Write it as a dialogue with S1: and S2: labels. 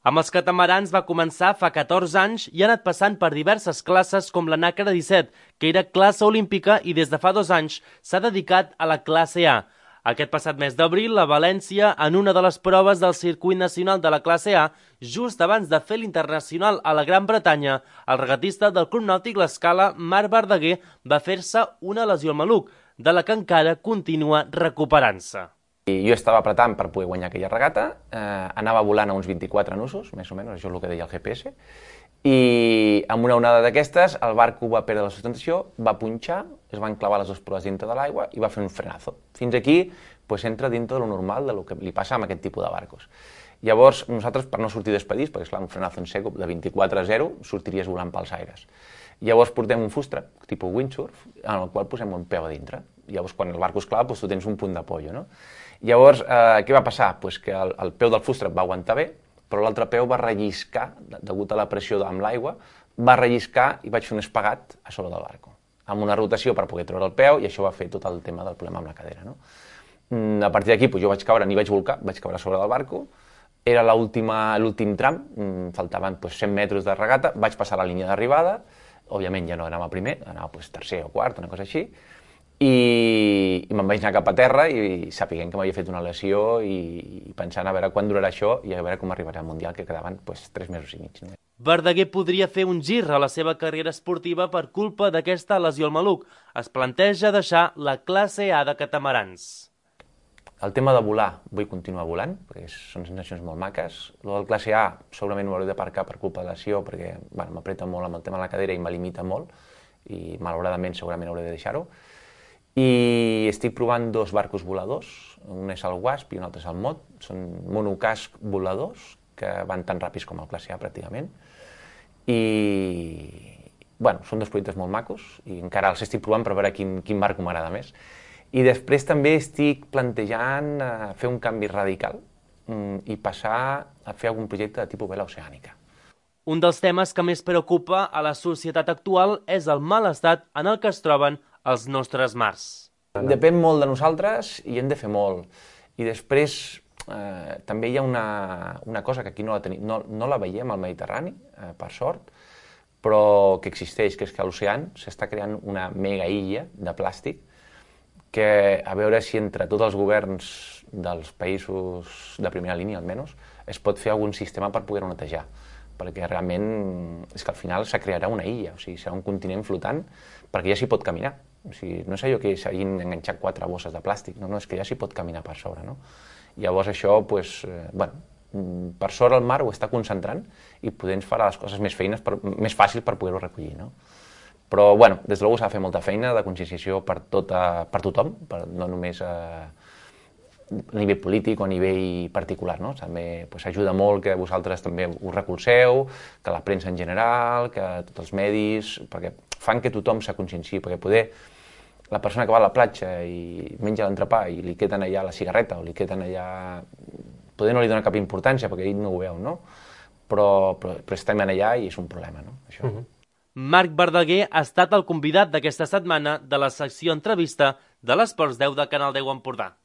S1: Amb els catamarans va començar fa 14 anys i ha anat passant per diverses classes com la Nàquera 17, que era classe olímpica i des de fa 2 anys s'ha dedicat a la classe A. Aquest passat mes d'abril, a València, en una de les proves del circuit nacional de la classe A, just abans de fer l'internacional a la Gran Bretanya, el regatista del Club Nàutic L'Escala, Marc Verdaguer, va fer-se una lesió al maluc, de la que encara continua recuperant-se.
S2: I jo estava apretant per poder guanyar aquella regata, anava volant a uns 24 nusos, més o menys, això és el que deia el GPS, i amb una onada d'aquestes el barco va perdre la sustentació, va punxar, es van clavar les dues proves dintre de l'aigua i va fer un frenazo. Fins aquí pues, entra dintre de lo normal de lo que li passa amb aquest tipus de barcos. Llavors, nosaltres, per no sortir despedits, perquè esclar, un frenazo en seco de 24 a 0, sortiries volant pels aires. Llavors portem un fustrap, tipus windsurf, en el qual posem un peu a dintre. Llavors, quan el barco es clava, doncs, tu tens un punt d'apollo, no? Llavors, què va passar? Pues que el peu del fustrap va aguantar bé, però l'altre peu va relliscar, degut a la pressió amb l'aigua, va relliscar i vaig fer un espagat a sobre del barco, amb una rotació per poder treure el peu, i això va fer tot el tema del problema amb la cadera, no? A partir d'aquí jo vaig caure, ni vaig volcar, vaig caure a sobre del barco, era l'últim tram, faltaven 100 metres de regata, vaig passar la línia d'arribada, òbviament ja no anava primer, anava tercer o quart, una cosa així, i me'n vaig anar cap a terra i sapiguent que m'havia fet una lesió i pensant a veure quan durarà això i a veure com arribarà al Mundial, que quedaven 3 mesos i mig. No?
S1: Verdaguer podria fer un gir a la seva carrera esportiva per culpa d'aquesta lesió al maluc. Es planteja deixar la classe A de catamarans.
S2: El tema de volar, vull continuar volant, perquè són sensacions molt maques. El del classe A segurament ho hauré d'aparcar per culpa de lesió, perquè m'apreta molt amb el tema de la cadera i me limita molt, i malauradament segurament hauré de deixar-ho. I estic provant 2 barcos voladors, un és el Wasp i un altre és el Mod, són monocasc voladors que van tan ràpids com el classe A pràcticament, i bueno, són 2 projectes molt macos i encara els estic provant per veure quin barco m'agrada més. I després també estic plantejant fer un canvi radical i passar a fer algun projecte de tipus vela oceànica.
S1: Un dels temes que més preocupa a la societat actual és el mal estat en el que es troben els nostres mars.
S2: Depèn molt de nosaltres i hem de fer molt. I després també hi ha una cosa que aquí no la veiem al Mediterrani, per sort, però que existeix, que és que a l'oceà s'està creant una mega illa de plàstic que a veure si entre tots els governs dels països de primera línia, almenys, es pot fer algun sistema per poder-ho netejar. Perquè realment és que al final se crearà una illa, o sigui, serà un continent flotant, perquè ja s'hi pot caminar. O sigui, no és allò que s'hagin enganxat 4 bosses de plàstic, no, és que ja s'hi pot caminar per sobre, no? Llavors això, doncs, bueno, per sort el mar ho està concentrant i poder ens farà les coses més fàcils per poder-ho recollir, no? Però, bueno, des de luego s'ha de fer molta feina de conscienciació per tothom, no només a nivell polític o a nivell particular, no? També ajuda molt que vosaltres també us recolzeu, que la premsa en general, que tots els medis, perquè fan que tothom se conscienciï, perquè poder la persona que va a la platja i menja l'entrepà i li queden allà la cigarreta o li queden allà... Poder no li dona cap importància perquè ell no ho veu, no? Però estem allà i és un problema, no? Això.
S1: Marc Verdaguer ha estat el convidat d'aquesta setmana de la secció entrevista de l'Esports 10 de Canal 10 Empordà.